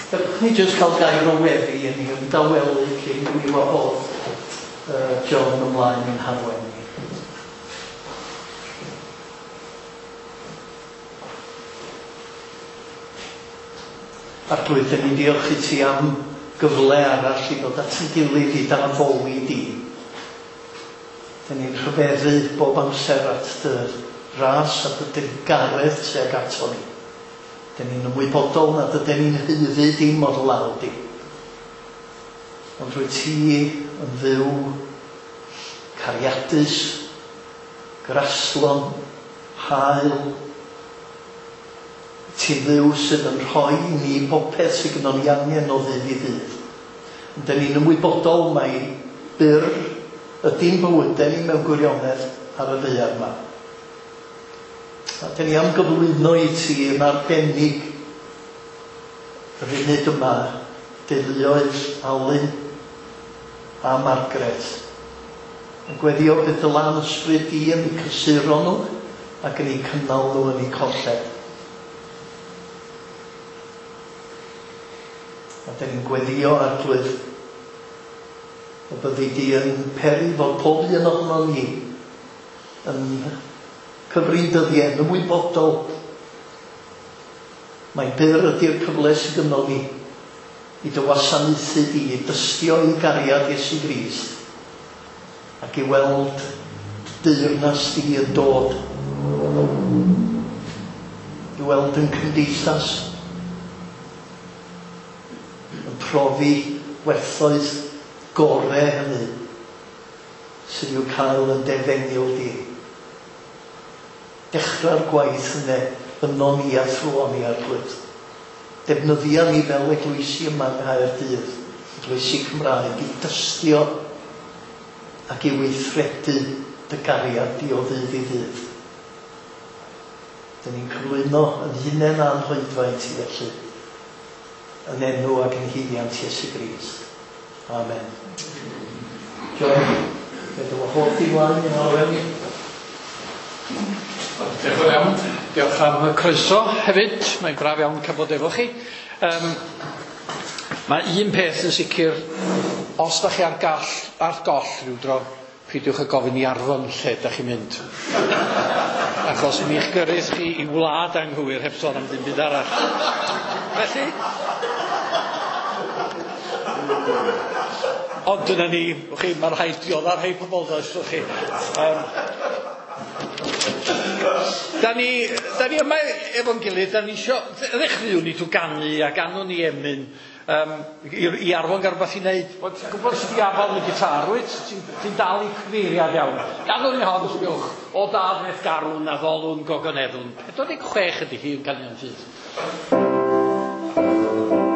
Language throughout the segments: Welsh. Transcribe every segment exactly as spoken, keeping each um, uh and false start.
Gadewch ni jyst cael gair o weddi yn ni ymdawelu cyn i mi wahodd uh, John ymlaen i'n harwain ni. Arglwydd, dan ni'n diolch i ti am gyfle arall i ddod at ein gilydd i d'addoli di. Dan ni'n rhyfeddu bob amser at dy ras a dy drugaredd tuag ato ni. Dan ni'n ymwybodol nad ydyn ni'n haeddu dim o'r law di. Ond rwyt ti yn Dduw cariadus, graslon, hael. Ti'n Dduw sydd yn rhoi i ni popeth sydd gynnon ni angen o ddydd i ddydd. Ond dan ni'n ymwybodol mai byr ydy'n bywydau ni mewn gwirionedd ar y ddaear yma. A dan ni am gyflwyno i ti yn arbennig y funud yma deuluoedd Alun a Margaret. Yn gweddio bydd dy lan ysbryd di yn eu cysuro nhw ac yn eu cynnal nhw yn eu colled. A dan ni'n gweddio, Arglwydd, y byddi di yn peri fod pob un ohonon ni yn cyfrin dyddiau, yn ymwybodol mai byr ydy'r cyfle sydd gynnon ni i dy wasanaethu di, i dystio i gariad Iesu Grist ac i weld deyrnas di yn dod, i weld yn cymdeithas yn profi werthoedd gore hynny sydd i'w cael yn defengyl di. Dechrau'r gwaith yna yno ni a thrwon ni, Arglwydd. Defnyddia ni fel eglwysi yma yng Nghaerdydd, eglwysi Cymraeg, i dystio ac i weithredu dy gariad di o ddydd i ddydd. Dyn ni'n cyflwyno yn hunain a'n hoedfa i ti felly, yn enw ac yn haeddiant Iesu Grist. Amen. John, fe dy wahodd di mlaen i'n arwain ni. Diolch yn fawr iawn. Diolch am y croeso hefyd. Mae'n braf iawn cael bod efo chi. Um, mae un peth yn sicr, os da chi ar, gall, ar goll rhyw dro, peidiwch â gofyn i Arfon lle da chi'n mynd. Achos mi'ch gyrrudd chi i wlad anghywir heb sôn am ddim byd arall. Felly, ond dyna ni, chi, mae rhaid diodda rhai pobl, does, chi. Um, Da ni, da ni yma efo'n gilydd, da ni isio, ddechreuwn ni trwy ganu a ganwn ni emyn um, i, i Arfon gael rhywbeth i wneud. Wel, ti'n gwybod sut i afal yn y gitar, wyt? Ti'n ti dal i cyfeiriad iawn. Ganwn ni hon, sbiwch, o dad wnaeth garwn a ddolwn gogoneddwn. pedwar deg chwech ydy hi yn Caneuon Ffydd. Thank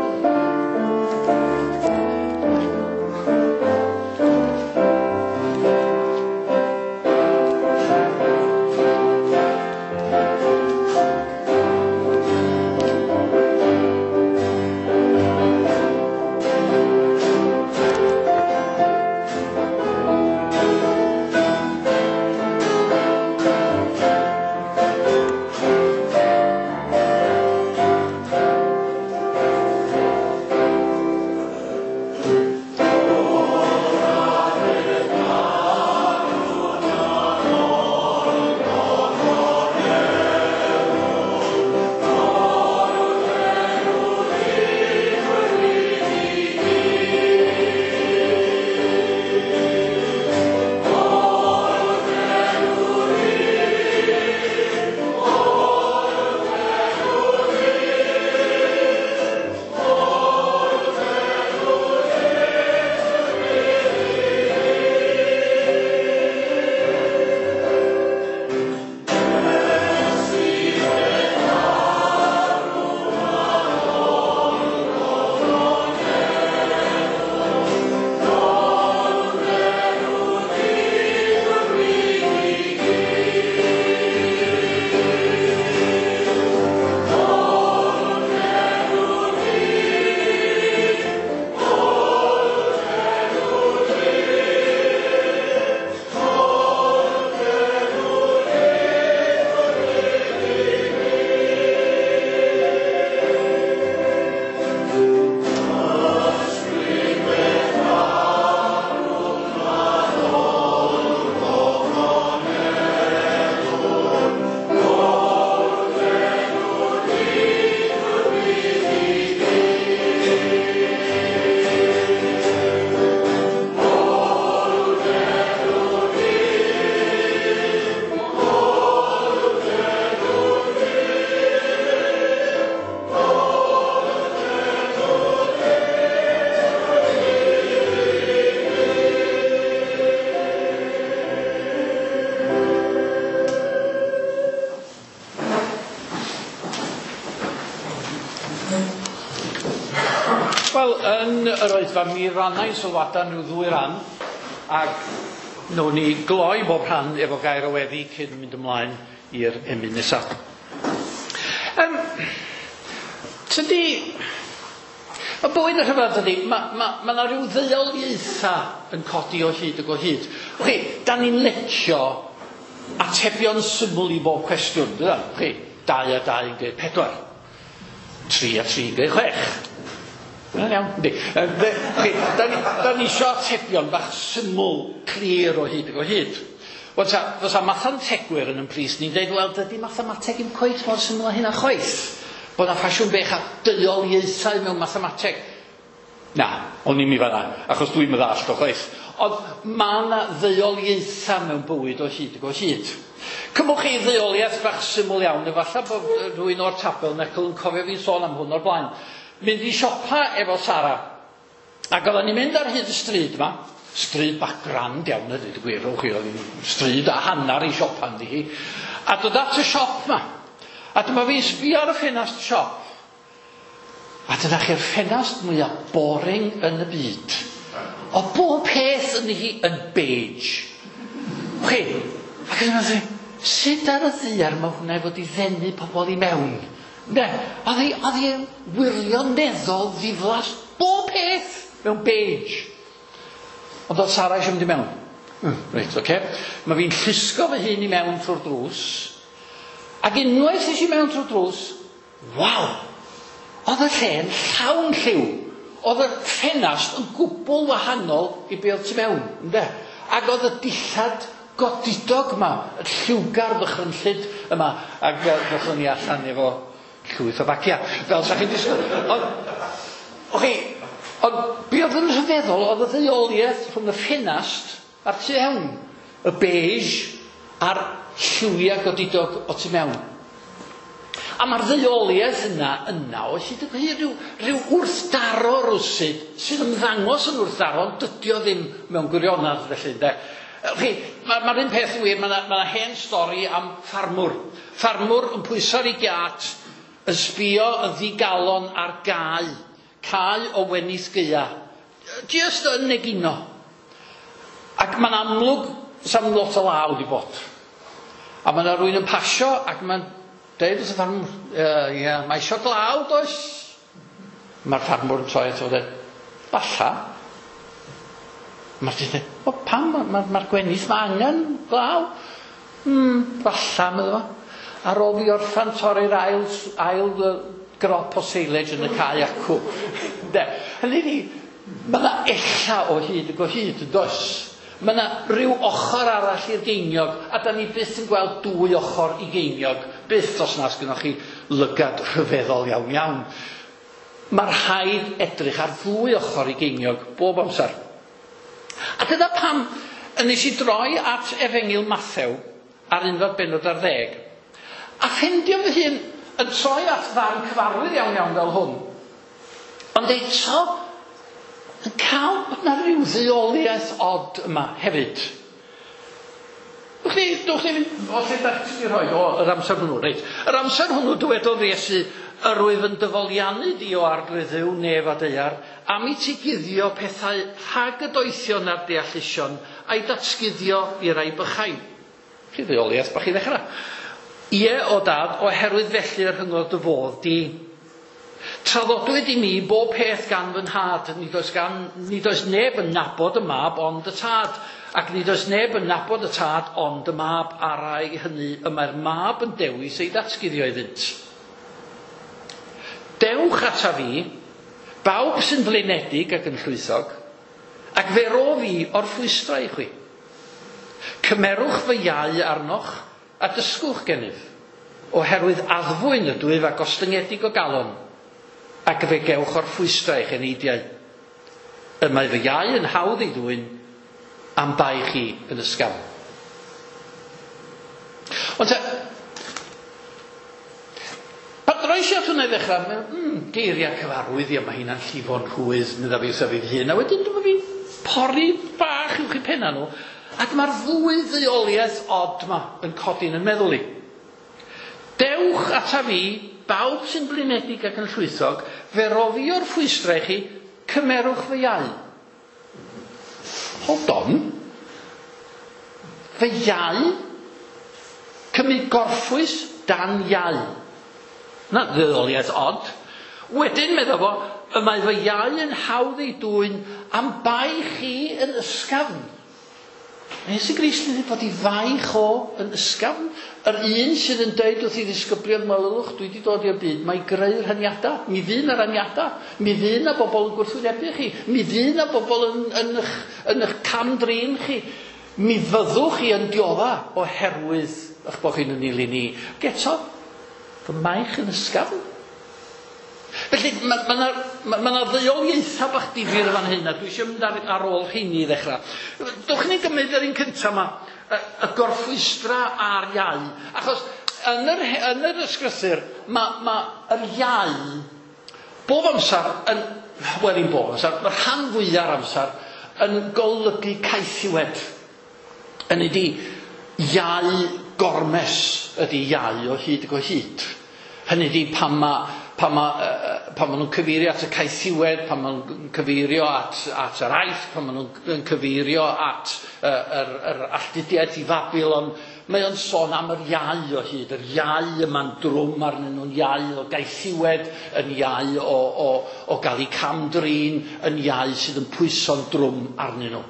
Wel, yn yr oedfa mi rannau sylwadau rhyw ddwy ran, ac nawn ni gloi bob rhan efo gair o weddi cyn mynd ymlaen i'r emyn nesaf. Um, tydi, y bywyd yn rhyfedd ydy, mae ma, ma 'na rhyw ddeuoliaethau yn codi o hyd ac o hyd. Chi, da ni'n licio atebion syml i bob cwestiwn, dydan? Chi, dau a dau yn gwneud pedwar. Tri a tri yn gwneud chwech. Mae'n iawn, yndi. Chi, da ni, da ni isio atebion bach syml, clir o hyd ac o hyd. Wel, ta, fysa mathemategwyr yn yn pris ni'n dweud, wel, dydy mathemateg ddim cweit mor syml â hynna chwaith. Bod 'na ffasiwn bech a deuoliaethau mewn mathemateg. Na, o'n i'm i fanna, achos dwi'n meddallt o chwaith. Ond mae yna ddeuoliaethau mewn bywyd o hyd ac o hyd. Cymwch chi ddeuoliaeth bach syml iawn, efallai bod rhywun o'r Tabernacl yn cofio fi'n sôn am hwn o'r blaen. Mynd i siopa efo Sara. Ac oedden ni'n mynd ar hyd y stryd yma, stryd bach grand iawn, a dweud y gwir, chi, oedd hi'n stryd a hanner i siopa ynddi hi. A dod at y siop yma. A dyma fi'n sbio ar y ffenast siop. A dyna chi'r ffenast mwyaf boring yn y byd. O bob peth yn hi yn beige. Chi, ac yn meddwl, sut ar y ddaear mae hwnna i fod i ddenu pobl i mewn? Ne, oedd hi, oedd hi'n wirioneddol ddiflas bob peth mewn beige. Ond oedd Sara eisiau mynd i mewn. Mm, reit, oce. Okay. Mae fi'n llusgo fy hun i mewn trwy'r drws. Ac unwaith es i mewn trwy'r drws, waw! Oedd y lle'n llawn lliw. Oedd y ffenast yn gwbl wahanol i be oedd tu mewn, ynde? Ac oedd y dillad godidog yma, y lliwgar ddychrynllyd yma, ac ddothon ni allan efo llwyth o bagia, fel sa chi'n disgwyl. Ond, ochi, ond be oedd yn rhyfeddol, oedd y ddeuoliaeth rhwng y ffenast a'r tu mewn, y beige a'r lliwiau godidog o tu mewn. A mae'r ddeuoliaeth yna yna o hyd yn hyd rhyw, rhyw wrthdaro rwsyd sydd ymddangos yn wrthdaro, ond dydy o ddim mewn gwirionedd felly, ynde. Chi, mae'r ma un peth yn wir, mae yna ma hen stori am ffarmwr. Ffarmwr yn pwyso ar ei giât, yn sbio yn ddigalon ar gae, cae o wenith gaea. Just yn egino. Ac mae'n amlwg, sa'm lot o law di bod. A mae yna rhywun yn pasio ac mae'n deud wrth y ffarmwr, uh, yeah, mae isio glaw, does? Mae'r ffarmwr yn troi ato fo dweud, falla. Mae'r dyn dweud, o pam, mae'r ma, ma gwenith mae angen glaw. Hmm, falla, meddwl fo. Ar ôl fi orffan torri'r ail, ail grop o silage yn y cae acw. De, hynny ydi, mae yna ella o hyd ac o hyd, yn does? Mae yna rhyw ochr arall i'r geiniog, a da ni byth yn gweld dwy ochr i geiniog, byth os nas gynnwch chi lygad rhyfeddol iawn iawn. Mae rhaid edrych ar ddwy ochr i geiniog bob amser. A dyna pam nes i droi at Efengyl Mathew ar unfed bennod ar ddeg, a ffeindio fy hun yn troi at ddarn cyfarwydd iawn iawn fel hwn. Ond eto, yn cael bod yna rhyw ddeuoliaeth od yma hefyd. Dwch chi, dwch chi fynd, o lle da chi wedi rhoi, o, yr amser hwnnw, reit. Yr amser hwnnw dywedodd Iesu, yr wyf yn dyfoliannu di o arglwydd Dduw nef a daear, am i ti guddio pethau rhag y doethion a'r deallusion, a'i datguddio i rai bychain. Chi ddeuoliaeth bach i ddechrau. Ie, o dad, oherwydd felly yr rhyngodd dy fodd di. Traddodwyd i mi bob peth gan fy nhad, nid oes, gan, nid oes neb yn nabod y mab ond y tad, ac nid oes neb yn nabod y tad ond y mab, a'r rai hynny y mae'r mab yn dewis ei ddatguddio iddynt. Dewch ata fi, bawb sy'n flinedig ac yn llwythog, ac fe ro fi orffwystra i chwi. Cymerwch fy iau arnoch a dysgwch gennyf, oherwydd addfwyn ydwyf a gostyngedig o galon, ac fe gewch orffwystra eich eneidiau. Y mae fy iau yn hawdd ei ddwyn, am bai chi yn ysgafn. Ond te, pan droes i at hwnna i ddechrau, mae'n mm, geiriau cyfarwydd, ia, mae hynna'n llifo'n rhwydd, medda fi wrtha fi hun, a wedyn dyma fi'n pori bach uwch i penna nhw, ac mae'r ddwy ddeuoliaeth od yma yn codi'n yn meddwl i. Dewch ata fi, bawb sy'n blinedig ac yn llwythog, fe ro fi orffwystra i chi cymerwch fy iau. Hold on. Fy iau? Cymryd gorffwys dan iau. Na, ddiddoliaeth od. Wedyn, medda fo, y mae fy iau yn hawdd ei dwyn am bai chi yn ysgafn. Mae Iesu Grist yn dweud bod ei faich o yn ysgafn. Yr un sydd yn dweud wrth ei ddisgyblion, welwch, dwi wedi dod i'r byd, mae greu rhaniadau. Mi fydd 'na raniadau. Mi fydd 'na bobl yn gwrthwynebu chi. Mi fydd 'na bobl yn, yn, yn, yn eich cam-drin chi. Mi fyddwch chi yn diodda oherwydd eich bod chi'n yn ilyn i. Ac eto, fy maich yn ysgafn. Felly, mae ma 'na ma, ma 'na ddeuoliaethau bach difyr fan hyn, a dwi eisiau mynd ar, ar ôl rheini i ddechrau. Dwch ni gymryd yr un cyntaf yma, y, y gorffwystra a'r iau. Achos yn yr, yn yr ysgrythur, mae ma yr iau bob amser, yn, wel ddim bob amser, mae'r rhan fwyaf amser yn golygu caethiwed. Yn ydi, iau gormes ydy iau o hyd ac o hyd. Hynny ydi pan mae pan ma, pan ma nhw'n cyfeirio at y caethiwed, pan ma nhw'n cyfeirio at, at yr Aifft, pan ma nhw'n cyfeirio at uh, yr, yr alltudiaeth i Fabilon, mae o'n sôn am yr iau o hyd, yr iau yma'n drwm arnyn nhw'n iau o gaethiwed, yn iau o, o, o gael eu cam-drin, yn iau sydd yn pwyso'n drwm arnyn nhw.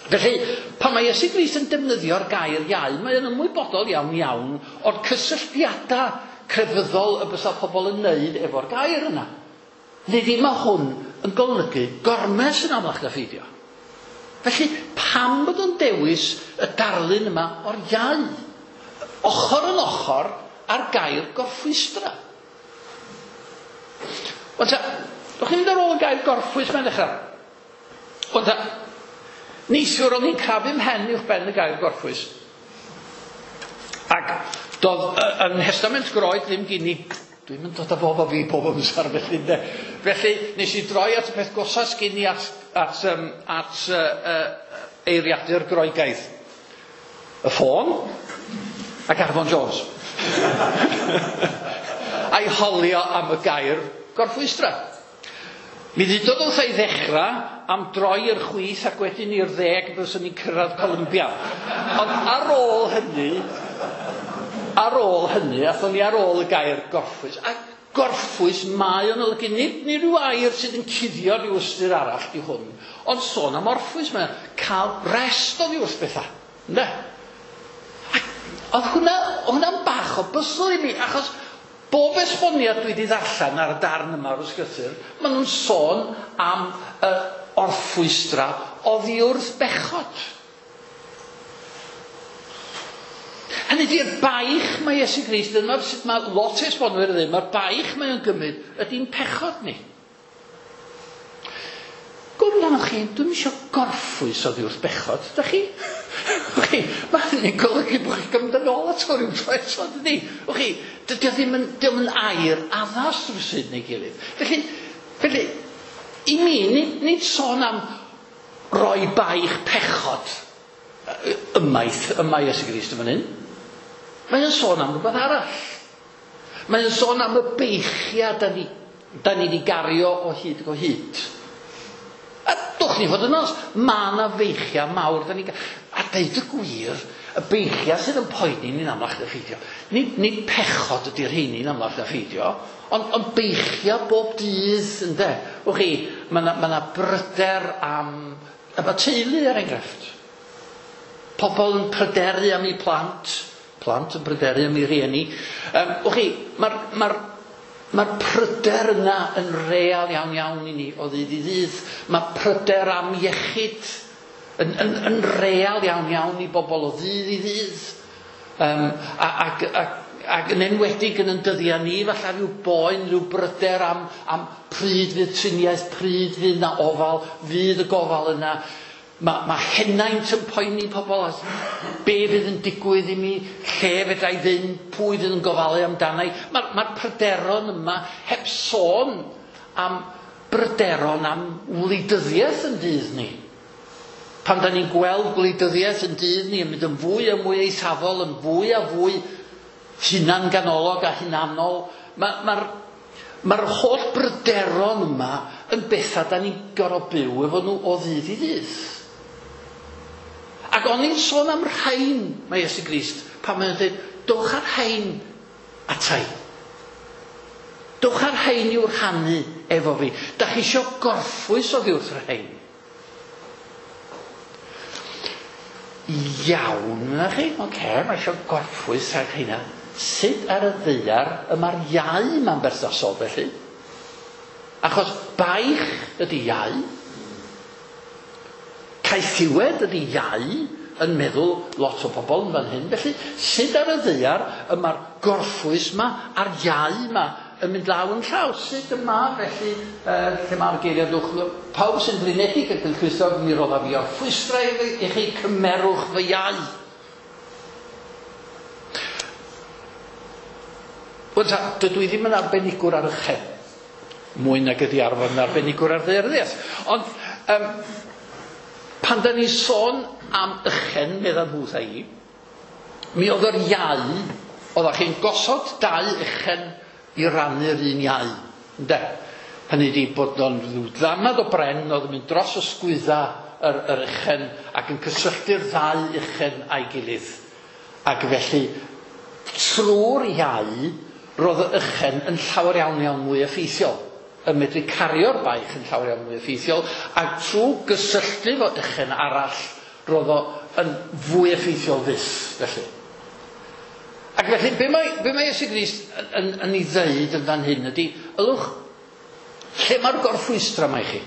Felly, pan mae Iesu Grist yn defnyddio'r gair iau, mae o'n ymwybodol iawn iawn o'r cysylltiadau crefyddol y bysa pobl yn neud efo'r gair yna. Nid ddim mae hwn yn golygu gormes yn amlach na pheidio. Felly, pam bod o'n dewis y darlun yma o'r iau? Ochr yn ochr â'r gair gorffwystra. Wan ta, dwch chi'n mynd ar ôl y gair gorffwys mae'n dechrau. Wan ta, neithiwr o'n i'n crafu mhen uwch ben y gair gorffwys. Ac doedd yn Nhestament Groeg ddim gyn i. Dwi'n mynd dod â bob o fi bob amser felly ynde. Felly nes i droi at y peth gosas gyn i at, at, um, at uh, uh, eiriadur Groegaidd. Y ffôn ac Arfon Jones. A'i holio am y gair gorffwystra. Mi ddudodd wrtha i ddechrau am droi i'r chwith ac wedyn i'r ddeg byswn ni'n cyrraedd Columbia. Ond ar ôl hynny, ar ôl hynny, athon ni ar ôl y gair gorffwys. A gorffwys mae o'n olygu, nid, nid rhyw air sydd yn cuddio rhyw ystyr arall di hwn, ond sôn am orffwys, mae'n cael rest oddi wrth bethau. Ynde? Ac oedd hwnna, hwnna'n bach o bysl i mi, achos bob esboniad dwi wedi ddarllen ar y darn yma o'r ysgrythur, maen nhw'n sôn am y orffwystra oddi wrth bechod. Hynny ydi'r baich mae Iesu Grist, dyma sut mae lot o esbonwyr yn dweud, mae'r baich mae o'n gymryd ydy'n pechod ni. Gwrdd amdanoch chi, dwi'm eisiau gorffwys oddi wrth bechod, da chi? Chi, mae hynny'n golygu bod chi'n gymryd yn ôl ato rhyw tro eto, dydy? Chi, dydy o ddim yn, dydy o'n air addas rhywsut neu gilydd. Felly, felly, i mi, nid, nid sôn am roi baich pechod ymaith, yma Iesu Grist yn fan hyn. Mae'n sôn am rhywbeth arall. Mae'n sôn am y beichiau da ni, da ni wedi gario o hyd ac o hyd. A dwch ni fod yn onest, mae yna feichiau mawr da ni. A deud y gwir, y beichiau sydd yn poeni ni'n amlach na pheidio. Nid, nid pechod ydy'r rheini'n amlach na pheidio, ond, ond beichiau bob dydd, ynde. Wch chi, mae yna, ma bryder am, am y teulu er enghraifft. Pobl yn pryderu am eu plant, plant yn pryderu am eu rhieni. Um, wch chi, mae'r ma Mae'r pryder yna yn real iawn iawn i ni o ddydd i ddydd. Mae pryder am iechyd yn, yn, yn real iawn iawn i bobl o ddydd i ddydd. Um, ac, ac, ac yn enwedig yn yn dyddiau ni, falle rhyw boen, rhyw bryder am, am pryd fydd triniaeth, pryd fydd na ofal, fydd y gofal yna. Mae, mae henaint yn poeni pobl, as be fydd yn digwydd i mi, lle fedra i fynd, pwy fydd yn gofalu amdana i. Mae'r mae pryderon yma heb sôn am bryderon am wleidyddiaeth yn dydd ni. Pan da ni'n gweld gwleidyddiaeth yn dydd ni yn mynd yn fwy a mwy eithafol, yn fwy a fwy hunanganolog a hunanol, mae'r ma, Mae'r holl bryderon yma yn bethau da ni'n gorfod byw efo nhw o ddydd i ddydd. Ac o'n i'n sôn am rhain, mae Iesu Grist, pan mae'n dweud, dowch ar rhain atai. Dowch ar rhain i'w rhannu efo fi. Da chi isio gorffwys oddi wrth rhain. Iawn, na chi? Oce, okay, mae isio gorffwys rhag rheina. Sut ar y ddaear y mae'r iau ma'n berthnasol felly? Achos baich ydy iau. Caethiwed ydy iau yn meddwl lot o bobl yn fan hyn. Felly, sut ar y ddaear y mae'r gorffwys ma a'r iau ma yn mynd law yn llaw? Sut yma felly, uh, lle mae'r geiriau dwch, pawb sy'n flinedig ac yn llwythog, mi roddaf fi orffwystra i chi, cymerwch fy iau. Wel, ta, dydw i ddim yn arbenigwr ar ychen, mwy nag ydi arfer yn arbenigwr ar ddaearyddiaeth. Ond um, pan da ni sôn am ychen, medda nhw wrtha i, mi oedd yr iau, oeddach chi'n gosod dau ychen i rannu'r un iau. Ynde? Hynny ydi bod o'n rhyw ddamad o bren oedd yn mynd dros ysgwydda yr, yr ychen ac yn cysylltu'r ddau ychen a'i gilydd. Ac felly, trwy'r iau, roedd y ychen yn llawer iawn iawn mwy effeithiol, yn medru cario'r baich yn llawer iawn mwy effeithiol, ac trwy gysylltu fo ychen arall, roedd o yn fwy effeithiol fyth, felly. Ac felly, be mae, be mae Iesu Grist yn, yn, yn ei ddeud yn fan hyn ydy, ylwch, lle mae'r gorffwystra mae chi?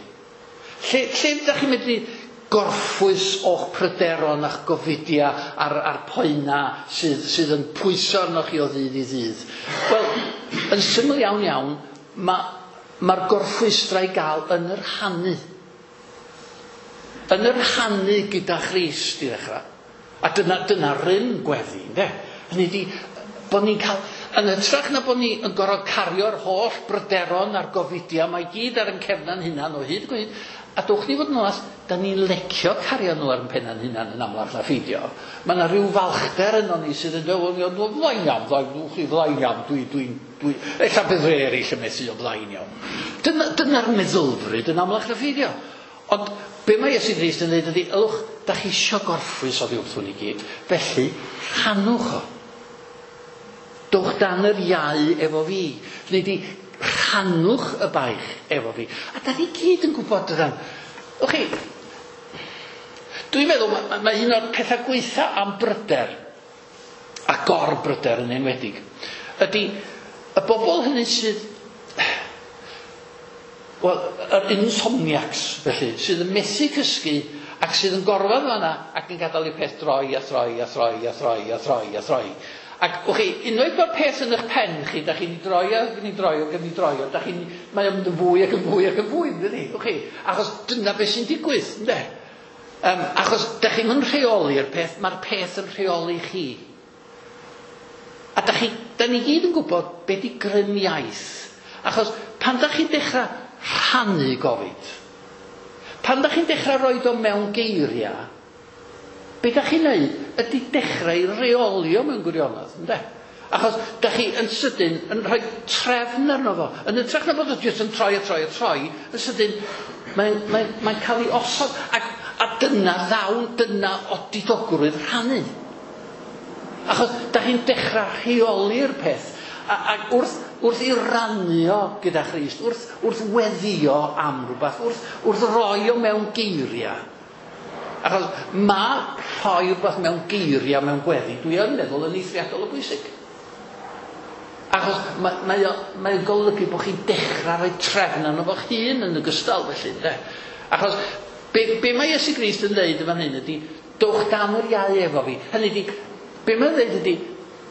Lle, lle ydych chi'n medru gorffwys o'ch pryderon a'ch gofidia a'r, a'r poena sydd, sydd yn pwyso arnoch chi o ddydd i ddydd? Wel, yn syml iawn iawn, mae'r ma gorffwystra i gael yn yr rhannu. Yn yr rhannu gyda Christ i ddechrau. A dyna, dyna rym gweddi, ynde? Hynny ydi, bod ni'n cael, yn hytrach na bod ni yn gorfod cario'r holl bryderon a'r gofidia, mae gyd ar ein cefna'n hunan o hyd gwyd, a dwch ni fod yn onast, da ni'n lecio cario nhw ar ein penna'n hunan yn amlach na pheidio. Mae yna rhyw falchder yno ni sydd yn dweud, wel, flaen iawn, flaen, chi flaen iawn, dwi, dwi, dwi, ella bydd rhai eraill yn methu o flaen iawn. Dyna, dyna'r meddylfryd yn amlach na pheidio. Ond be mae Iesu Grist yn dweud ydy, ylwch, da chi isio gorffwys oddi wrth hwn i gyd, felly rhannwch o. Dowch dan yr iau efo fi. Hynny ydi, rhannwch y baich efo fi. A da ni gyd yn gwybod dydan. Wch chi, dwi'n meddwl, mae, mae un o'r pethau gweitha am bryder, a gorbryder yn enwedig, ydy y bobl hynny sydd, wel, yr insomniacs, felly, sydd yn methu cysgu ac sydd yn gorfod fan'na ac yn gadael i'r peth droi a throi a throi a throi a throi a throi. Ac, wch chi, unwaith mae'r peth yn eich pen chi, da chi'n droi ac yn ei droi ac yn ei droi, da chi'n, mae o'n mynd yn fwy ac yn fwy ac yn fwy, yndydi? Wch chi, achos dyna beth sy'n digwydd, ynde? Um, achos da chi'n yn rheoli'r peth, mae'r peth yn rheoli chi. A da chi, da ni gyd yn gwybod be di grym iaith. Achos pan da chi'n dechrau rhannu gofid, pan da chi'n dechrau roed o mewn geiriau, be da chi'n neud ydy dechrau i reolio mewn gwirionedd, ynde? Achos da chi yn sydyn yn rhoi trefn arno fo. Yn hytrach na bod o jyst yn troi a troi a troi, yn sydyn mae'n mae, mae cael ei osod. Ac, a dyna ddawn, dyna odidogrwydd rhannu. Achos da chi'n dechrau rheoli'r peth. A, ac wrth, wrth i rannu o gyda Christ, wrth, wrth weddio am rhywbeth, wrth, wrth roi o mewn geiriau. Achos mae rhoi rhywbeth mewn geiriau mewn gweddi, dwi yn meddwl yn eithriadol o bwysig. Achos mae, mae, o, mae o'n golygu bod chi'n dechrau rhoi trefn arno fo'ch hun yn ogystal felly. De? Achos be, be mae Iesu Grist yn dweud yn fan hyn ydy, dowch dan yr iau efo fi. Hynny ydy, be mae'n dweud ydy,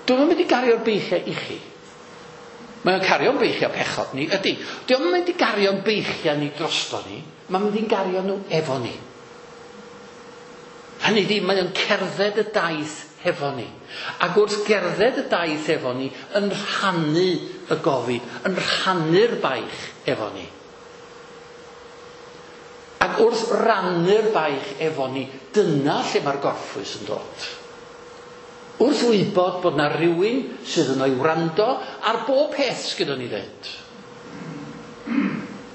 dwi'm yn mynd i gario'r beichiau i chi. Mae o'n cario'n beichiau pechod ni, ydy. Dio'm yn mynd i gario'n beichiau ni drosto ni, mae'n mynd i'n gario nhw efo ni. Hynny ydy, mae o'n cerdded y daith hefo ni. Ac wrth gerdded y daith efo ni, yn rhannu y gofid, yn rhannu'r baich efo ni. Ac wrth rannu'r baich efo ni, dyna lle mae'r gorffwys yn dod. Wrth wybod bod na rhywun sydd yno i wrando ar bob peth sgynnon ni ddeud.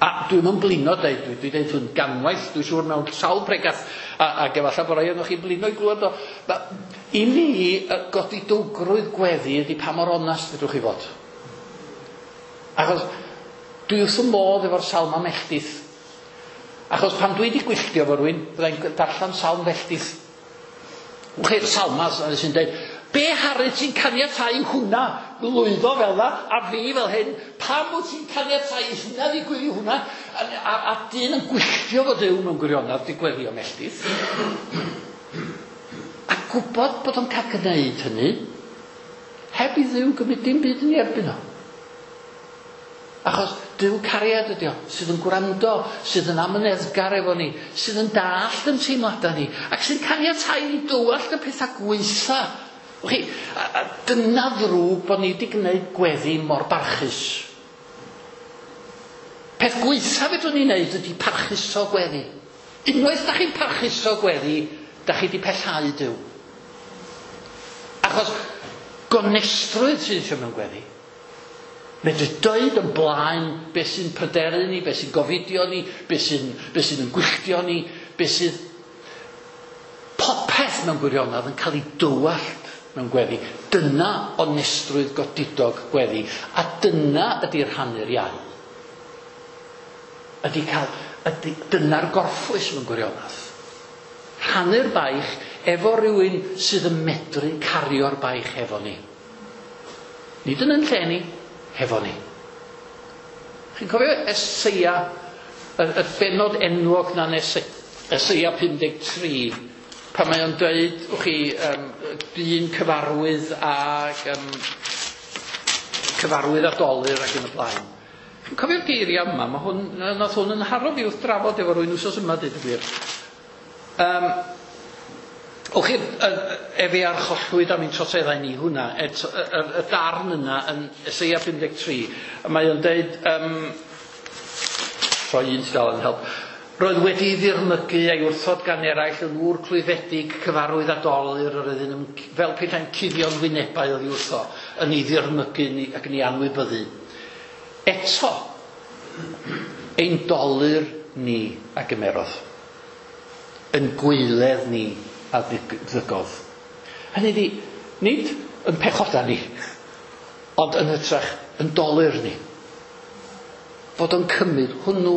A dwi'm yn blino deud, dwi wedi deud hwn ganwaith, dwi'n siŵr mewn sawl pregath, a, ac efallai bod rai ohonoch chi'n blino i glywed o. Ma, I mi, godidowgrwydd gweddi ydy pa mor onast fedrwch chi fod. Achos dwi wrth y modd efo'r salm am melltith. Achos pan dwi wedi gwylltio fo rywun, byddai'n darllen salm felltith. Wch chi'r salma sy'n dweud, be haru ti'n caniatáu hwnna lwyddo fel na, a fi fel hyn, pam wyt ti'n caniatáu hynna ddigwydd i hwnna? A, a, a dyn yn gwylltio fo Duw mewn gwirionedd di gweddio melltith. A gwybod bod o'n cael gwneud hynny, heb i Dduw gymryd dim byd yn ei erbyn o. Achos Duw cariad ydi o, sydd yn gwrando, sydd yn amyneddgar efo ni, sydd yn dallt yn teimladau ni, ac sy'n caniatáu ni dywallt y pethau gwaetha. Chi, a, a dyna ddrwg bod ni wedi gwneud gweddi mor barchus. Peth gwaetha fedrwn ni wneud ydy parchuso gweddi. Unwaith da chi'n parchuso gweddi, da chi wedi pellhau Duw. Achos gonestrwydd sydd eisiau mewn gweddi. Medru dweud yn blaen beth sy'n pryderu ni, beth sy'n gofidio ni, beth sy'n, beth sy'n yn gwylltio ni, beth sydd... Popeth mewn gwirionedd yn cael ei dywallt mewn gweddi. Dyna onestrwydd godidog gweddi. A dyna ydy'r rhannu'r iau. Ydy cael, ydy, dyna'r gorffwys mewn gwirionedd. Rhannu'r baich efo rhywun sydd yn medru cario'r baich efo ni. Nid yn yn lle ni, hefo ni. Chi'n cofio Eseia, y, y bennod enwog na'n Eseia pum deg tri, pan mae o'n dweud, wch chi, um, dyn cyfarwydd ag um, cyfarwydd a dolur ac yn y blaen. Chi'n cofio'r geiriau yma, mae hwn, nath hwn yn haro fi wrth drafod efo rhywun wsos yma, dweud y gwir. Um, Wch chi, efe archollwyd am ein troseddau ni hwnna, et, y, y, y darn yna yn Eseia pum deg tri, a mae o'n deud, um, troi un tudalen help, roedd wedi ddirmygu a'i wrthod gan eraill yn ŵr clwyfedig, cyfarwydd a dolur, yr oedd yn fel petai'n cuddio'n wynebau oddi wrtho, yn ei ddirmygu ni, ac yn ei anwybyddu. Eto, ein dolur ni a gymerodd, yn gwaeledd ni a ddygodd. Hynny ydi, nid yn pechoda ni, ond yn hytrach yn dolur ni. Bod o'n cymryd hwnnw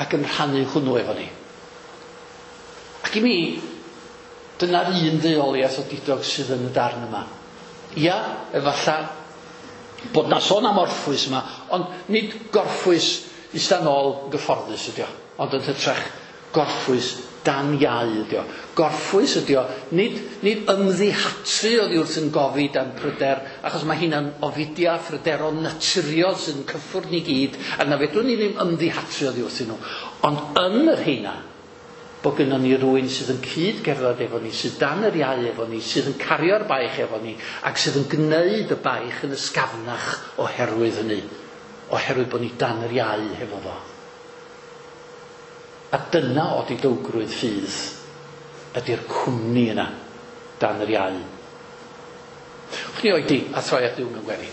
ac yn rhannu hwnnw efo ni. Ac i mi, dyna'r un ddeuoliaeth o didog sydd yn y darn yma. Ia, efallai bod na sôn am orffwys yma, ond nid gorffwys ista nôl gyfforddus ydi o, ond yn hytrach gorffwys dan iau ydi o. Gorffwys ydi o, nid, nid ymddihatru oddi wrth yn gofid a'n pryder, achos mae hynna'n ofidia phryderon naturiol sydd yn cyffwrdd ni gyd, a na fedrwn ni ddim ymddihatru oddi wrthyn nhw. Ond yn yr heina, bod gynnon ni rywun sydd yn cyd-gerdded efo ni, sydd dan yr iau efo ni, sydd yn cario'r baich efo ni, ac sydd yn gwneud y baich yn ysgafnach oherwydd hynny, oherwydd bod ni dan yr iau hefo fo. A dyna odidowgrwydd ffydd ydy'r cwmni yna dan yr iau. Wch ni oedi a throi at Dduw mewn gweddi.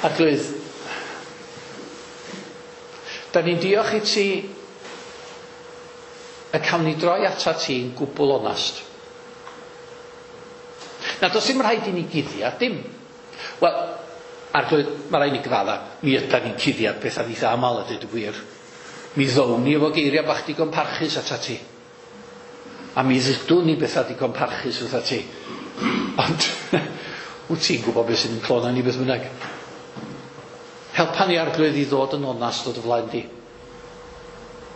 Arglwydd, da ni'n diolch i ti y cawn ni droi atat ti'n gwbl onast. Na, does dim rhaid i ni guddiad, dim. Wel, Arglwydd, mae rhaid ni gyfadda, mi ydan ni'n cuddiad pethau eitha aml a dweud y gwir. Mi ddown ni efo geiriau bach digon parchus atat ti. A mi ddudwn ni bethau digon parchus wrtha ti. Ond, wyt ti'n gwybod beth sy'n clona ni beth bynnag. Helpa ni Arglwydd i ddod yn onast o dy flaen di.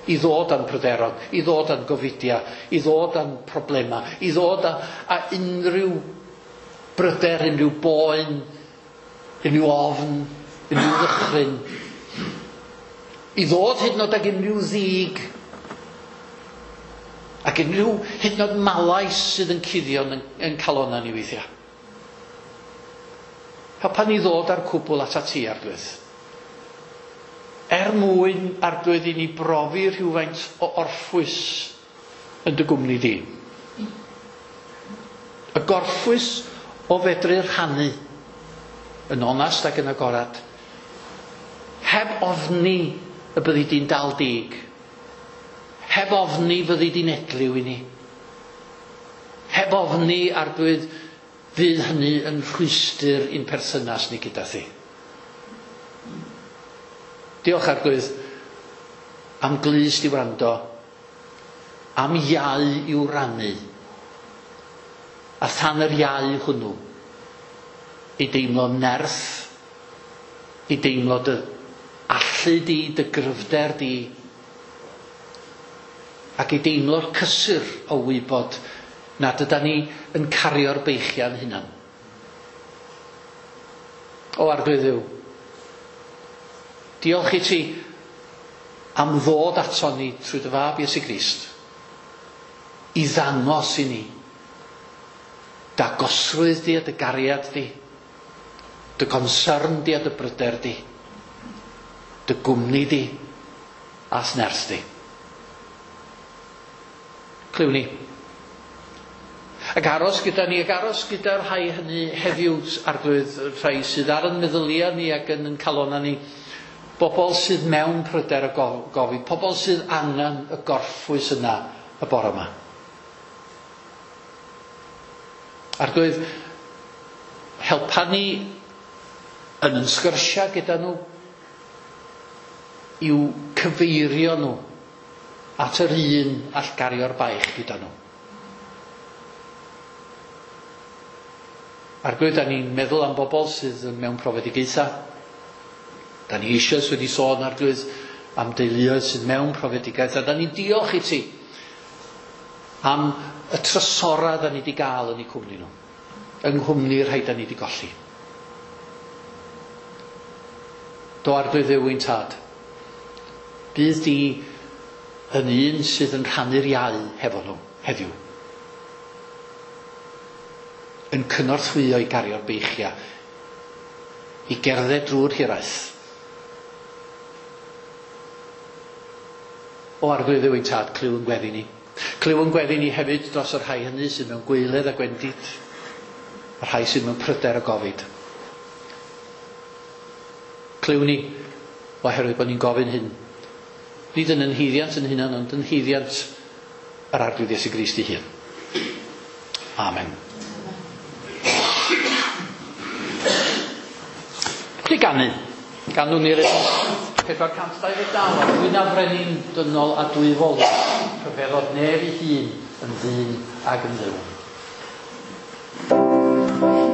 I ddod â'n pryderon, i ddod â'n gofidia, i ddod â'n problema, i ddod â, â unrhyw bryder, unrhyw boen, unrhyw ofn, unrhyw ddychryn. I ddod hyd yn oed ag unrhyw ddig, ac unrhyw hyd yn oed malais sydd yn cuddio yn, yn calonna ni weithiau. Helpa ni ddod â'r cwbl atat ti, Arglwydd. Er mwyn, Arglwydd, i ni brofi rhywfaint o orffwys yn dy gwmni di. Y gorffwys o fedru rhannu yn onast ac yn agorad, heb Heb ofni y byddi di'n dal dig. Heb ofni fyddi di'n edliw i ni. Heb ofni, Arglwydd, fydd hynny yn rhwystr i'n perthynas ni gyda thi. Diolch, Arglwydd, am glust i wrando, am iau i'w rannu, a than yr iau hwnnw, i deimlo nerth, i deimlo dy allu di, dy gryfder di, ac i deimlo'r cysur o wybod nad ydan ni yn cario'r beichiau'n hunan. O Arglwydd Dduw, diolch i ti am ddod ato ni trwy dy fab Iesu Grist i ddangos i ni dagosrwydd di a dy gariad di, dy concern di a dy bryder di, dy gwmni di a'th nerth di. Clywn ni. Ac aros gyda ni, ac aros gyda'r rhai hynny heddiw, Arglwydd, rhai sydd ar yn meddyliau ni ac yn yn calonnau ni, bobl sydd mewn pryder y gofid, pobl sydd angen y gorffwys yna y bore yma. Arglwydd, helpa ni yn yn sgyrsiau gyda nhw i'w cyfeirio nhw at yr un all gario'r baich gyda nhw. Arglwydd, da ni'n meddwl am bobl sydd mewn profedigaethau. Da ni eisoes wedi sôn, Arglwydd, am deuluoedd sydd mewn profedigaeth, a da ni'n diolch i ti am y trysora da ni wedi gael yn eu cwmni nhw, yng nghwmni'r rhai da ni wedi golli. Do, Arglwydd Dduw ein tad, bydd di yn un sydd yn rhannu'r iau hefo nhw heddiw, yn cynorthwyo i gario'r beichiau, i gerdded drwy'r hiraeth. O Arglwydd Dduw ein tad, clyw yn gweddi ni. Clyw yn gweddi ni hefyd dros y rhai hynny sydd mewn gwaeledd a gwendid, y rhai sydd mewn pryder a gofid. Clyw ni, oherwydd bod ni'n gofyn hyn, nid yn yn haeddiant yn hunan, ond yn haeddiant yr Arglwydd Iesu Grist ei hun. Amen. Chi ganu? Ganwn ni'r pedwar cant dau ddeg naw, a dwy na frenin dynol a dwyfol, rhyfeddodd nef ei hun yn ddyn ag yn dduw. Amen.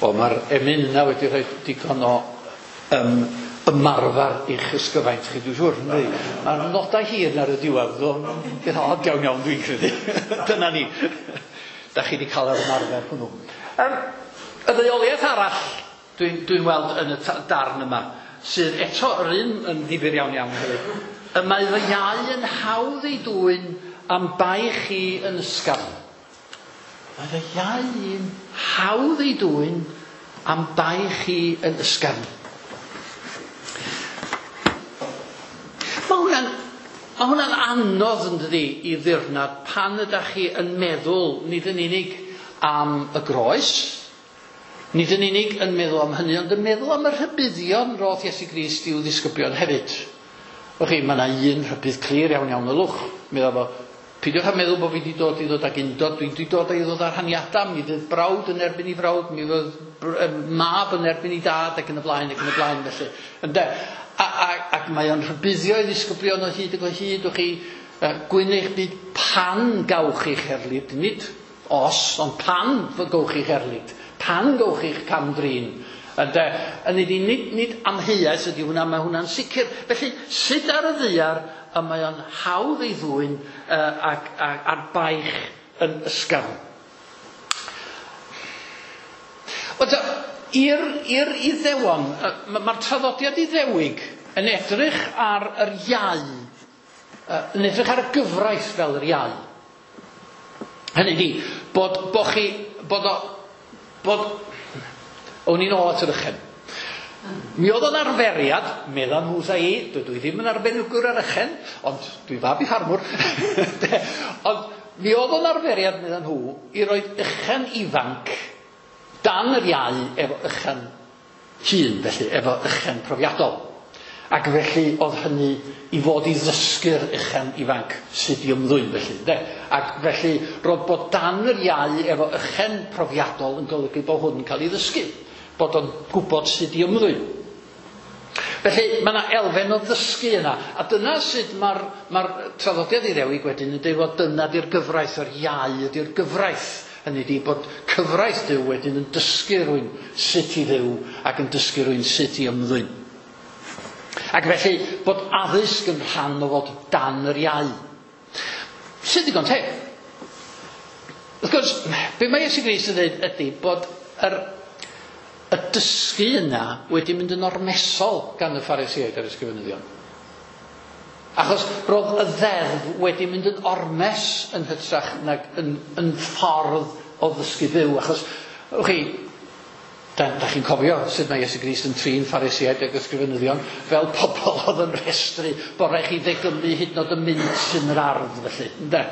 O, mae'r emyn yna wedi rhoi digon o um, ymarfer i'ch ysgyfaint chi, dwi'n siŵr. Mae'r nodau hir ar y diwedd, beth od iawn iawn dwi'n credu. Dyna ni. Da chi wedi cael yr ymarfer hwnnw. Um, y ddeuoliaeth arall dwi'n dwi weld yn y darn yma, sydd eto yr un yn ddifyr iawn iawn hefyd. Y mae fy iau yn hawdd ei dwyn am bai chi yn ysgafn. Mae fy iau yn hawdd ei dwyn am bai chi yn ysgafn. Mae hwnna'n, mae hwnna'n anodd yn dydi i ddirnad pan ydych chi yn meddwl nid yn unig am y groes, nid yn unig yn meddwl am hynny, ond yn meddwl am y rhybuddion roedd Iesu Grist i'w ddisgyblion hefyd. Wch chi, mae yna un rhybudd clir iawn iawn ylwch. Meddwl fo, peidiwch â meddwl bod fi wedi dod i ddod ag undod, dwi wedi dod i ddod â rhaniadau, mi fydd brawd yn erbyn i frawd, mi fydd mab yn erbyn i dad, ac yn y blaen, ac yn y blaen, felly. Ynde? A, a, ac mae o'n rhybuddio i ddisgyblion o hyd ac o hyd, wch chi, gwyn eich byd pan gawch eich erlid, nid os, ond pan gawch eich erlid, pan gawch eich cam-drin. Ynde, yn nid, nid, nid amheuaeth ydy hwnna, mae hwnna'n sicr. Felly, sut ar y ddaear y mae o'n hawdd ei ddwyn uh, ac, ac, a'r baich yn ysgafn. Wel, i'r, i'r Iddewon, mae'r traddodiad Iddewig yn edrych ar yr iau, yn edrych ar y gyfraith fel yr iau. Hynny ydi, bod, bo chi, bod o, bod, o'n i'n ôl at yr ychen. Mi oedd o'n arferiad, medda nhw wrtha i, dydw i ddim yn arbenigwr ar ychen, ond dwi fab i ffarmwr. Ond mi oedd o'n arferiad, medda nhw, i roi ychen ifanc dan yr iau efo ychen hŷn, felly, efo ychen profiadol. Ac felly oedd hynny i fod i ddysgu'r ychen ifanc sut i ymddwyn, felly. De? Ac felly roedd bod dan yr iau efo ychen profiadol yn golygu bod hwn yn cael ei ddysgu, bod o'n gwybod sut i ymddwyn. Felly mae yna elfen o ddysgu yna, a dyna sut mae'r mae'r traddodiad Iddewig wedyn yn dweud fod dyna di'r gyfraith, yr iau ydy'r gyfraith. Hynny ydi bod cyfraith Duw wedyn yn dysgu rhywun sut i fyw ac yn dysgu rhywun sut i ymddwyn. Ac felly bod addysg yn rhan o fod dan yr iau. Sy'n ddigon teg. Wrth gwrs, be mae Iesu Grist yn dweud ydy bod yr, y dysgu yna wedi mynd yn ormesol gan y Phariseaid a'r ysgrifenyddion. Achos roedd y ddeddf wedi mynd yn ormes yn hytrach nag yn, yn ffordd o ddysgu byw. Achos, wch chi, da, da chi'n cofio sut mae Iesu Grist yn trin Phariseaid ac ysgrifenyddion fel pobl oedd yn rhestru bod rhaid chi ddegymu hyd yn oed y mint yn yr ardd, felly. Ynde?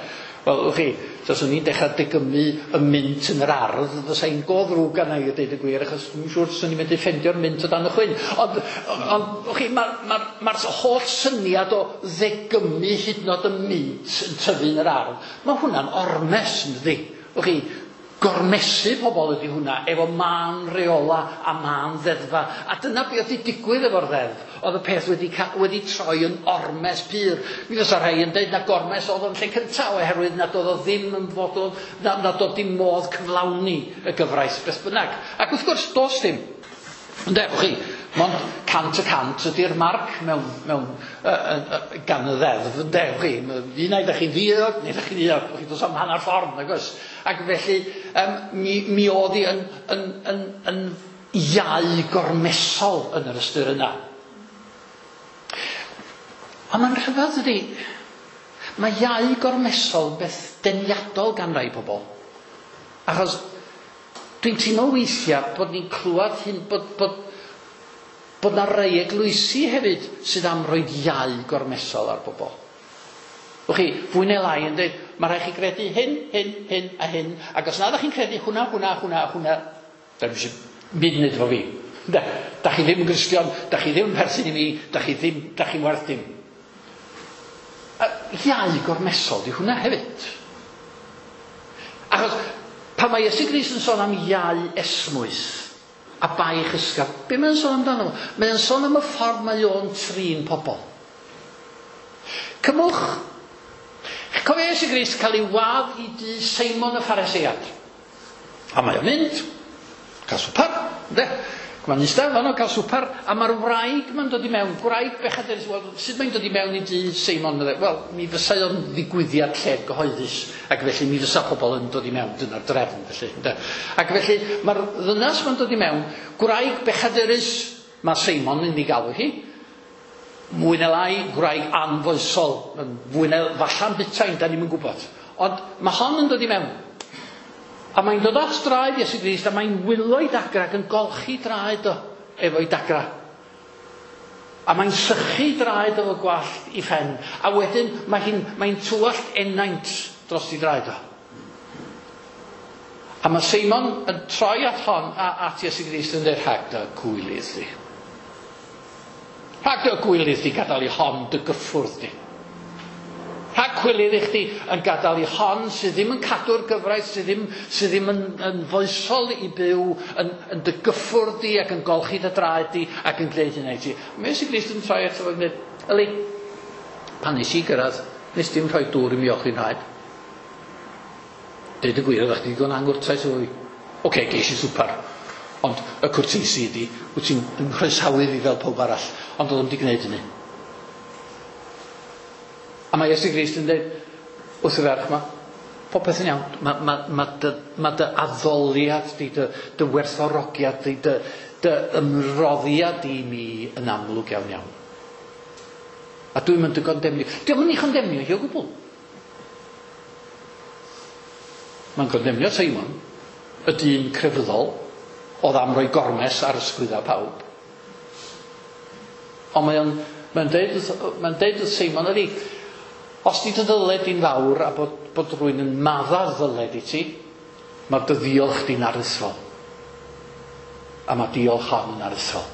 Wel, wch chi, taswn i'n dechrau degymu y mint yn yr ardd, fysa i'n go ddrwg arna i a deud y gwir, achos dwi'n siŵr swn i'n mynd i ffendio'r mint o dan y chwyn. Ond, ond wch chi, mae'r ma, ma, ma holl syniad o ddegymu hyd yn oed y mint yn tyfu yn yr ardd, mae hwnna'n ormes, yn dydi? Wch chi, gormesu pobl ydy hwnna, efo mân reola a mân ddeddfa. A dyna beth oedd wedi digwydd efo'r ddeddf. Oedd y peth wedi, wedi troi yn ormes pur. Mi fysa rhai yn dweud na gormes oedd o'n lle cyntaf, oherwydd nad oedd o ddim yn fodlon, nad, nad oedd dim modd cyflawni y gyfraith beth bynnag. Ac wrth gwrs, does dim. Ynde, wch chi, mond cant y cant ydy'r marc mewn, mewn, uh, uh, gan y ddeddf, ynde, wch chi, un ai ydych chi'n ddiog, neu ydych chi'n ddiog, wch chi, does am hanner ffordd, nag oes. Ac felly, um, mi, mi oedd hi yn, yn, yn, yn iau gormesol yn yr ystyr yna. Ond mae'n rhyfedd ydy, mae iau gormesol beth deniadol gan rai pobl. Achos dwi'n teimlo weithiau bod ni'n clywed hyn, bod, bod, bod na rai eglwysi hefyd sydd am roi iau gormesol ar bobl. Wch chi, fwy neu lai yn dweud, mae rhaid chi gredu hyn, hyn, hyn a hyn, ac os na ydych chi'n credu hwnna, hwnna, hwnna, hwnna, da chi eisiau mynd wneud efo fi. Da, da chi ddim yn Gristion, da chi ddim yn perthyn i mi, da chi ddim, da chi'n werth dim. A iau gormesol di hwnna hefyd. Achos pan mae Iesu Grist yn sôn am iau esmwyth a baich ysgaf, be mae'n sôn amdano? Mae'n sôn am y ffordd mae o'n trin pobl. Cymwch, cofio Iesu Grist cael ei wadd i dŷ Seimon y Pharisead. A mae o'n mynd, cael swper, Mae'n eistedd fan o cael swper, a mae'r wraig ma'n dod i mewn, gwraig bechadurus, wel, sut mae'n dod i mewn i dŷ Seimon? Wel, mi fysa o'n ddigwyddiad lled gyhoeddus, ac felly mi fysa pobl yn dod i mewn, dyna'r drefn felly. Ynde? Ac felly mae'r ddynas ma'n dod i mewn, gwraig bechadurus, mae Seimon yn ei galw hi, mwy neu lai gwraig anfoesol, fwy neu falla'n butain, da ni'm yn gwybod. Ond mae hon yn dod i mewn. A mae'n dod at draed Iesu Grist a mae'n wylo i dagra ac yn golchi draed o efo'i dagra. A mae'n sychu draed efo gwallt i phen. A wedyn mae hi'n mae'n tywallt enaint dros i draed o. A mae Seimon yn troi at hon a at Iesu Grist yn dweud, rhag dy gwylydd di. Rhag dy gwylydd di gadael i hon dy gyffwrdd di. Rhag cwilydd i chdi yn gadael i hon sydd ddim yn cadw'r gyfraith, sydd ddim, sydd ddim yn, yn foesol i byw, yn, yn dy gyffwrdd di ac yn golchi dy draed di ac yn gwneud hynna i ti. Mae Iesu Grist yn troi ato fo ac yn dweud, yli, pan nes i gyrraedd, nes dim rhoi dŵr i mi olchi'n rhaid. Deud y gwir, oeddech chdi digon angwrtais efo fi. Oce, geis i swper. Ond y cwrteisi ydi, wyt ti'n nghroesawu fi fel pawb arall, ond oedd o'm di gwneud hynny. A mae Iesu Grist yn dweud wrth y ferch yma, popeth yn iawn, mae ma, ma dy, ma dy addoliad di, dy, dy werthfawrogiad di, dy, dy ymroddiad di i mi yn amlwg iawn iawn. A dwi'n mynd dy gondemnio. Dio'm yn ei chondemnio hi o gwbl. Mae'n condemnio Seimon, y dyn crefyddol, oedd am roi gormes ar ysgwydda pawb. Ond mae'n mae'n deud wrth, mae'n deud wrth Seimon ydi, os di dy ddyled di'n fawr a bod, bod rhywun yn madda'r ddyled i ti, mae'r dy ddiolch di'n aruthrol. A mae diolch hon yn aruthrol.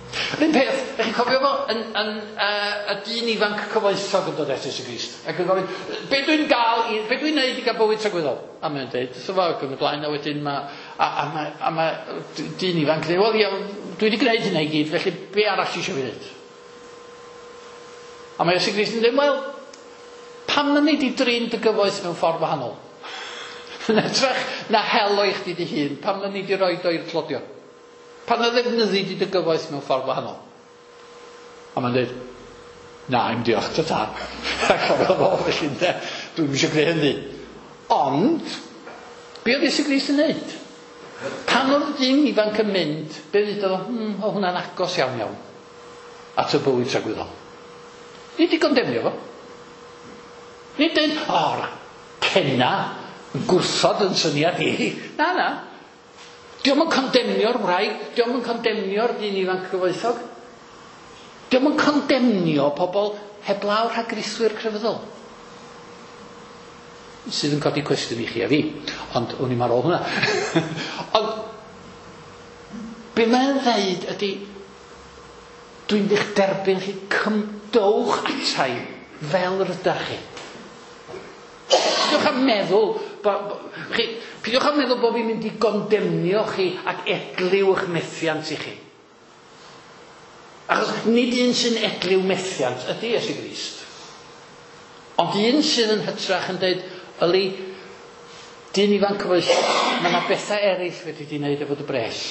Yr un peth, ych chi'n cofio fo, yn, yn, uh, y dyn ifanc cyfoethog yn dod at Iesu Grist. Ac yn gofyn, be dwi'n gael, i, be dwi'n neud i gael bywyd tragwyddol? A mae'n deud, wrtho fo ac yn y blaen, a wedyn mae, a, a mae, a mae dyn ifanc yn dweud, wel ia, dwi wedi gwneud hynna i gyd, felly be arall ti eisiau fi wneud? A mae Iesu Grist yn dweud, wel, pam na nei di drin dy gyfoeth mewn ffordd wahanol? Yn hytrach na hel o i chdi dy hun, pam na nei di roid o i'r tlodion? Pam na ddefnyddi di dy gyfoeth mewn ffordd wahanol? A mae'n dweud, na, i'm diolch, ta ta. Ac oedd o felly, ynde, dwi'm eisiau gwneud hynny. Ond, be oedd Iesu Grist yn neud? Pan oedd y dyn ifanc yn mynd, be ddudodd o, hmm, o hwnna'n agos iawn iawn at y bywyd tragwyddol. Nid i gondemnio fo. Nid dweud, o, cenna, yn gwrthod yn syniad i. Na, na. Dio'm yn condemnio'r wraig, dio'm yn condemnio'r dyn ifanc gyfoethog. Dio'm yn condemnio pobl heblaw rhagrithwyr crefyddol. Sydd yn codi cwestiwn i chi a fi, ond o'n i'm ar ôl hwnna. Ond be mae'n ddeud ydy, dwi'n eich derbyn chi, cymdowch atai fel rydach chi. Peidiwch â meddwl, bo, bo, chi, peidiwch â meddwl bod fi'n mynd i gondemnio chi ac edliw eich methiant i chi. Achos nid un sy'n edliw methiant ydy Iesu Grist. Ond un sydd yn hytrach yn dweud, yli, dyn ifanc cyfoes, mae yna bethau eraill fedri di wneud efo dy bres.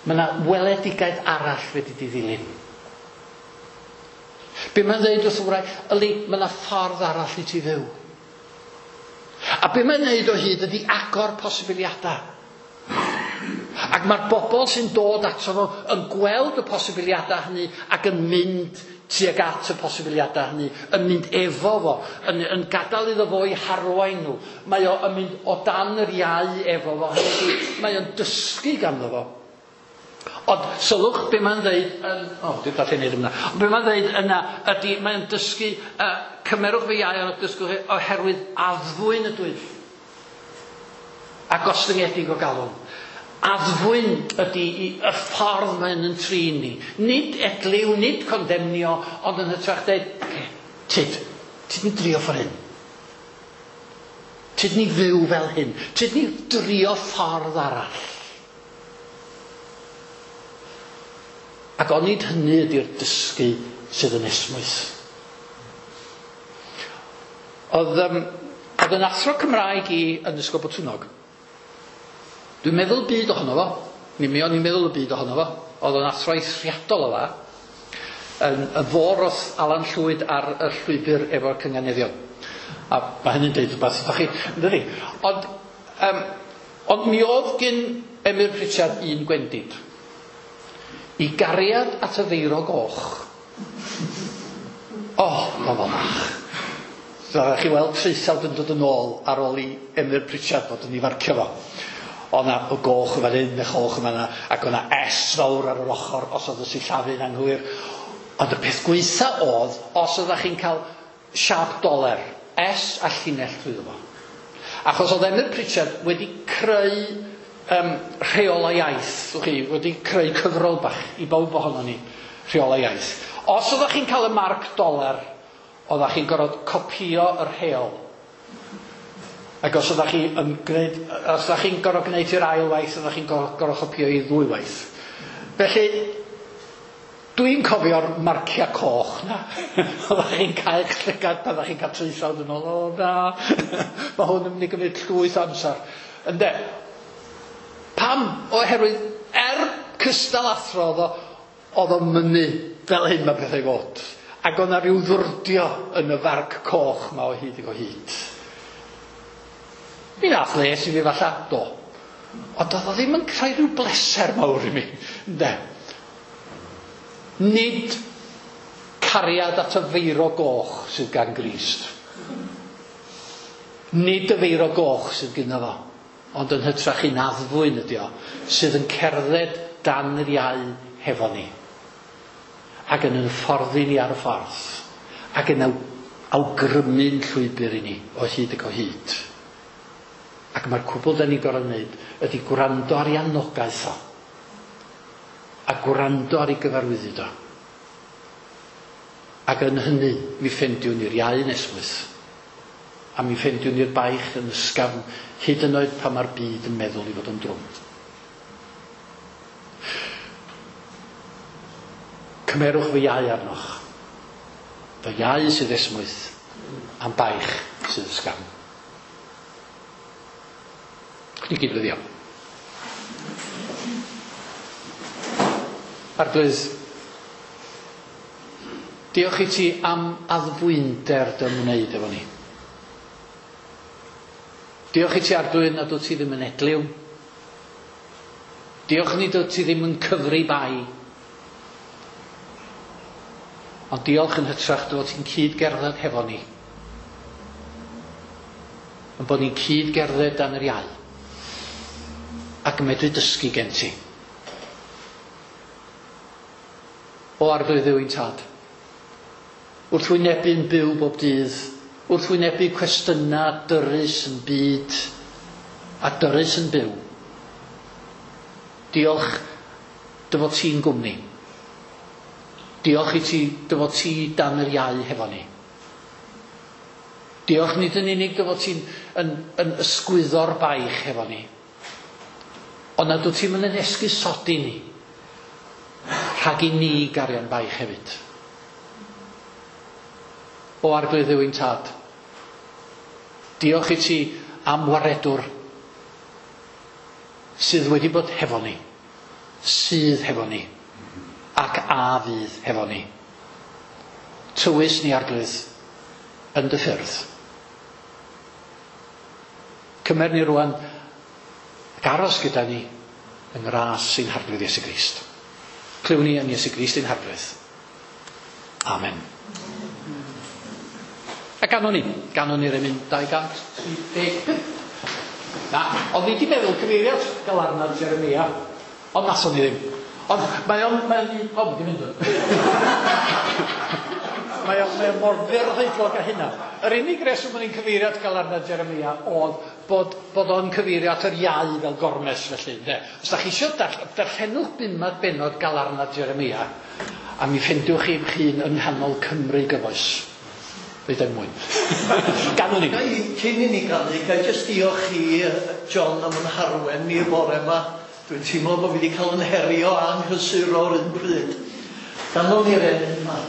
Mae yna weledigaeth arall fedri di ddilyn. Be mae'n dweud wrth y wraig, yli, mae yna ffordd arall i ti fyw. A be mae'n neud o hyd ydy agor posibiliadau. Ac mae'r bobl sy'n dod ato fo yn gweld y posibiliadau hynny ac yn mynd tuag at y posibiliadau hynny, yn mynd efo fo, yn, yn gadael iddo fo i harwain nhw. Mae o yn mynd o dan yr iau efo fo, hynny ydi, mae o'n dysgu ganddo fo. Ond sylwch be mae'n dweud, yn, o, dwi'n gallu neud yna, ond be mae'n dweud yna ydy, mae'n dysgu, uh, cymerwch fy iau ond dysgwch chi oherwydd addfwyn ydwyf a gostyngedig o galon. Addfwyn ydy y ffordd mae'n yn trin ni. Nid edliw, nid condemnio, ond yn hytrach dweud, okay, tyd, tyd ni drio ffordd hyn. Tyd ni fyw fel hyn. Tyd ni drio ffordd arall. Ac onid hynny ydy'r dysgu sydd yn esmwyth. Oedd, um, oedd yn athro Cymraeg i yn Ysgol Botwnnog. Dwi'n meddwl byd ohono fo. Mi mi o'n i'n meddwl y byd ohono fo. Oedd o'n athro eithriadol o dda. Yn, yn fôr oedd Alan Llwyd ar y llwybr efo'r cynganeddion. A mae hynny'n deud rhywbeth wrthoch chi, yndydi? Ond, um, ond mi oedd gyn Emyr Pritchard un gwendid. I gariad at y feiro goch. O, oh, oedd o'n fach. So, chi weld traethawd yn dod yn ôl ar ôl i Emyr Pritchard fod yn ei farcio fo. Oedd 'na y goch yn fan hyn, y choch yn fan'na, ac oedd 'na S fawr ar yr ochr os oedd y sillafu'n anghywir. Ond y peth gwaetha oedd, os oeddech chi'n cael siâp doler, S a llinell trwyddo fo. Achos oedd Emyr Pritchard wedi creu um, rheolau iaith, chi, wedi creu cyfrol bach i bawb ohonon ni, rheolau iaith. Os oeddech chi'n cael y marc doler, oeddech chi'n gorfod copïo y rheol. Ac os oeddech chi yn gwneud, os oeddech chi'n gorfod gwneud i'r ail waith, oeddech chi'n gorfod copïo i ddwy waith. Felly, dwi'n cofio'r marciau coch na. Oeddech chi'n cael eich llygad pan oeddech chi'n cael traethawd yn ôl, o na, mae hwn yn mynd i gymryd llwyth o amser. Ynde? Pam? Oherwydd, er cystal athro oedd o, oedd o'n mynnu fel hyn mae pethau i fod. Ac oedd 'na ryw ddwrdio yn y farc coch ma o hyd ac o hyd. Mi nath les i fi falla, do. Ond oedd o ddim yn creu rhyw bleser mawr i mi, ynde? Nid cariad at y feiro goch sydd gan Grist. Nid y feiro goch sydd gynno fo, ond yn hytrach un addfwyn ydi o, sydd yn cerdded dan yr iau hefo ni. Ac yn hyfforddi ni ar y ffordd. Ac yn awgrymu'n llwybr i ni o hyd ac o hyd. Ac mae'r cwbl da ni'n gorfod wneud ydy gwrando ar ei anogaeth o. A gwrando ar ei gyfarwyddyd o. Ac yn hynny, mi ffendiwn ni'r iau yn esmwyth. A mi ffendiwn ni'r baich yn ysgafn, hyd yn oed pan mae'r byd yn meddwl i fod yn drwm. Cymerwch fy iau arnoch. Fy iau sydd esmwyth, a'm baich sydd ysgafn. Ni gyd weddïo. Arglwydd, diolch i ti am addfwynder dy ymwneud efo ni. Diolch i ti, Arglwydd, nad wyt ti ddim yn edliw. Diolch nid wyt ti ddim yn cyfri bai. Ond diolch yn hytrach dy fod ti'n cyd-gerdded hefo ni. Yn bod ni'n cyd-gerdded dan yr iau. Ac yn medru dysgu gen ti. O Arglwydd Dduw ein Tad, wrth wynebu'n byw bob dydd, wrth wynebu cwestiynau dyrys yn byd a dyrys yn byw, diolch dy fod ti'n gwmni. Diolch i ti dy fod ti dan yr iau hefo ni. Diolch nid yn unig dy fod ti'n yn, yn ysgwyddo'r baich hefo ni, ond nad wyt ti'n mynd yn esgusodi ni rhag i ni gario'n baich hefyd. O Arglwydd Dduw ein Tad, diolch i ti am waredwr sydd wedi bod hefo ni, sydd hefo ni, ac a fydd hefo ni. Tywys ni, Arglwydd, yn dy ffyrdd. Cymer ni rwan ac aros gyda ni yng ngras ein Harglwydd Iesu Grist. Clywn ni yn Iesu Grist ein Harglwydd. Amen. A ganon ni, ganon ni'r emyn dau gant tri deg pump. Na, oedd ni wedi meddwl cyfeiriad galarnad Jeremia, ond nathon ni ddim. Ond mae o'n, mae o'n, o, wedi mynd o'n. Mae o'n, mae o'n mor fyrhoedlog â hynna. Yr unig reswm o'n i'n cyfeirio at galarnad Jeremia oedd bod, bod o'n cyfeirio at yr iau fel gormes felly. Ynde? Os da chi eisiau darllenwch bumad benod galarnad Jeremia, a mi ffendiwch chi'ch hun yng nghanol Cymru gyfoes. Rhaid er mwyn. Ganwn ni. Cyn i ni ganu, ga i jyst diolch i John am yn harwen ni'r bore yma. Dwi'n teimlo bod fi wedi cael yn herio a'n nghysuro ar un pryd. Ganwn ni'r emyn yma.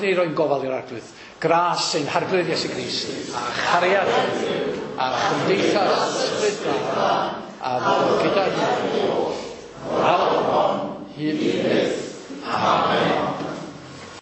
ni roi'n gofal i'r Arglwydd. Gras ein Harglwydd Iesu Grist, a chariad a chymdeithas Ysbryd Glân, a fod gyda ni oll, nawr, hyd